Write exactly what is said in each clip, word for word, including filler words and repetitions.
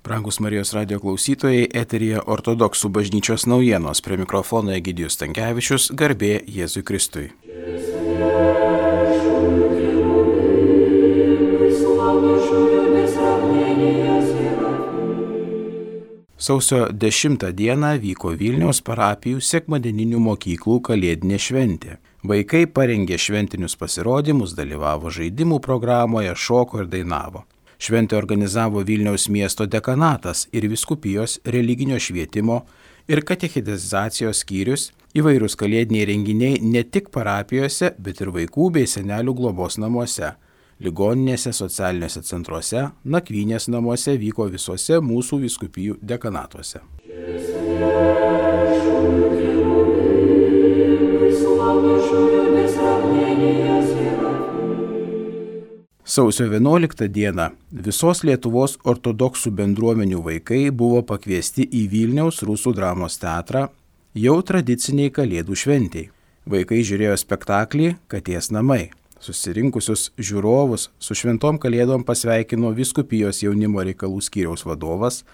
Brangus Marijos radijo klausytojai, eteryje Ortodoksų bažnyčios naujienos, prie mikrofono Egidijus Stankevičius, garbė Jėzui Kristui. Sausio dešimtą dieną vyko Vilniaus parapijų sekmadieninių mokyklų kalėdinė šventė. Vaikai parengė šventinius pasirodymus, dalyvavo žaidimų programoje, šoko ir dainavo. Šventę organizavo Vilniaus miesto dekanatas ir vyskupijos religinio švietimo ir katechizacijos skyrius, įvairūs kalėdiniai renginiai ne tik parapijose, bet ir vaikų bei senelių globos namuose, ligoninėse, socialiniuose centruose, nakvynės namuose vyko visose mūsų vyskupijų dekanatuose. Sausio vienuoliktą dieną visos Lietuvos ortodoksų bendruomenių vaikai buvo pakviesti į Vilniaus Rusų dramos teatrą jau tradiciniai kalėdų šventei. Vaikai žiūrėjo spektaklį Katės namai. Susirinkusius žiūrovus su šventom kalėdom pasveikino vyskupijos jaunimo reikalų skyriaus vadovas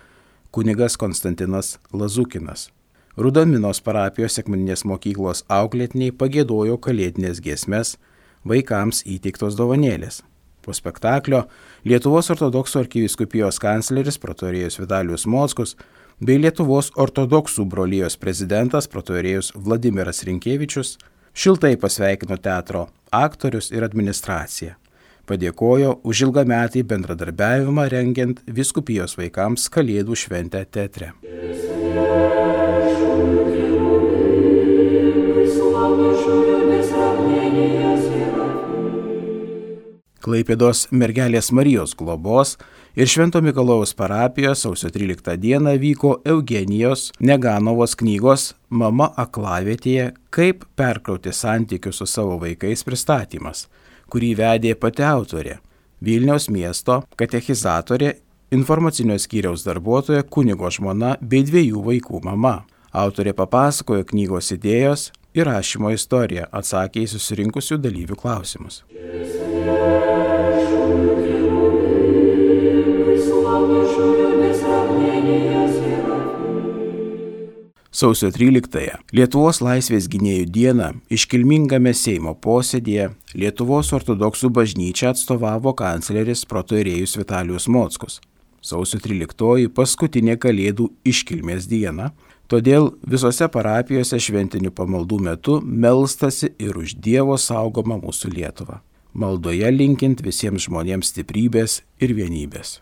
kunigas Konstantinas Lazukinas. Rudaminos parapijos sekmadieninės mokyklos auklėtiniai pagiedojo kalėdinės giesmes, vaikams įteiktos dovanėlės. Po spektaklio Lietuvos ortodoksų arkivyskupijos kancleris protoierėjus Vitalijus Mockus bei Lietuvos ortodoksų brolijos prezidentas protoierėjus Vladimiras Rinkevičius šiltai pasveikino teatro aktorius ir administraciją. Padėkojo už ilgametį bendradarbiavimą rengiant vyskupijos vaikams kalėdų šventę teatre. Klaipėdos Mergelės Marijos globos ir Švento Mikalojaus parapijos sausio tryliktą dieną vyko Eugenijos Neganovos knygos Mama aklavietėje, kaip perkrauti santykius su savo vaikais pristatymas, kurį vedė pati autorė, Vilniaus miesto katechizatorė, informacinio skyriaus darbuotoja, kunigo žmona bei dviejų vaikų mama. Autorė papasakojo knygos idėjos ir rašymo istoriją, atsakė į susirinkusių dalyvių klausimus. Sausio tryliktąją Lietuvos laisvės gynėjų dieną iškilmingame Seimo posėdėje Lietuvos ortodoksų bažnyčią atstovavo kancleris protoierėjus Vitalijus Mockus. Sausio tryliktoji paskutinė kalėdų iškilmės diena, todėl visose parapijose šventinių pamaldų metu melstasi ir už Dievo saugomą mūsų Lietuvą. Maldoje linkint visiems žmonėms stiprybės ir vienybės.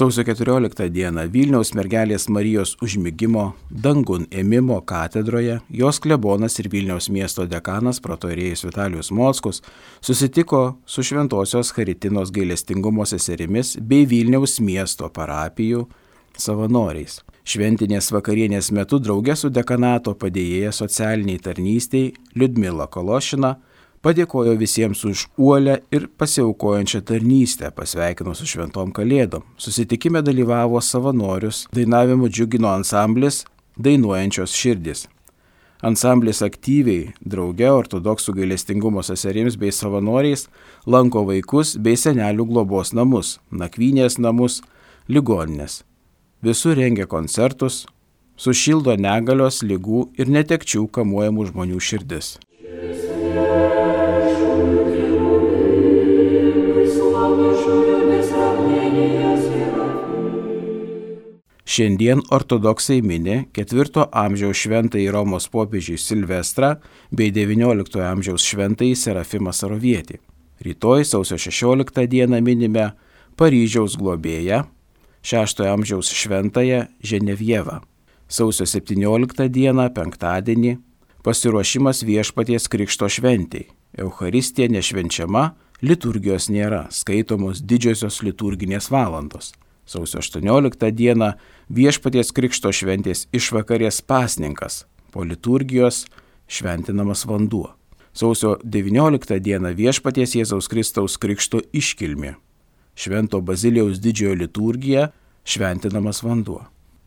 Sausio keturioliktą dieną Vilniaus Mergelės Marijos užmigimo dangun ėmimo katedroje jos klebonas ir Vilniaus miesto dekanas protoierėjus Vitalijus Mockus susitiko su Šventosios Charitinos gailestingumo seserimis bei Vilniaus miesto parapijų savanoriais. Šventinės vakarienės metu drauge su dekanato padėjėja socialiniai tarnystei Liudmila Kološina padėkojo visiems už uolę ir pasiaukojančią tarnystę, pasveikino su šventom kalėdom. Susitikime dalyvavo savanorius, dainavimu džiugino ansamblis Dainuojančios širdys. Ansamblis aktyviai, drauge ortodoksų gailestingumo seserims bei savanoriais lanko vaikus bei senelių globos namus, nakvynės namus, ligoninės. Visur rengia koncertus, sušildo negalios, ligų ir netekčių kamuojamų žmonių širdis. Šiandien ortodoksai mini ketvirto amžiaus šventąjį Romos popiežių Silvestrą bei devynioliktojo amžiaus šventąjį Serafimą Sarovietį. Rytoj sausio šešioliktą dieną minime Paryžiaus globėją, šeštojo amžiaus šventąją Ženevievą. Sausio septynioliktą dieną, penktadienį, pasiruošimas Viešpaties Krikšto šventei. Eucharistija nešvenčiama, liturgijos nėra, skaitomos didžiosios liturginės valandos. Sausio aštuonioliktą dieną Viešpaties Krikšto šventės išvakarės pasninkas, po liturgijos šventinamas vanduo. Sausio devynioliktą dieną Viešpaties Jėzaus Kristaus Krikšto iškilmė. Švento Bazilijaus didžiojo liturgija šventinamas vanduo.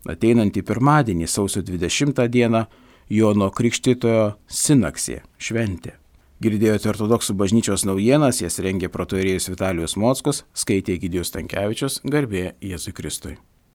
Ateinantį pirmadienį sausio dvidešimtą dieną Jono Krikštytojo sinaksė šventė. Girdėjote ortodoksų bažnyčios naujienas, jas rengė protoierėjus Vitalijus Mockus, skaitė Egidijus Stankevičius, garbė Jėzui Kristui.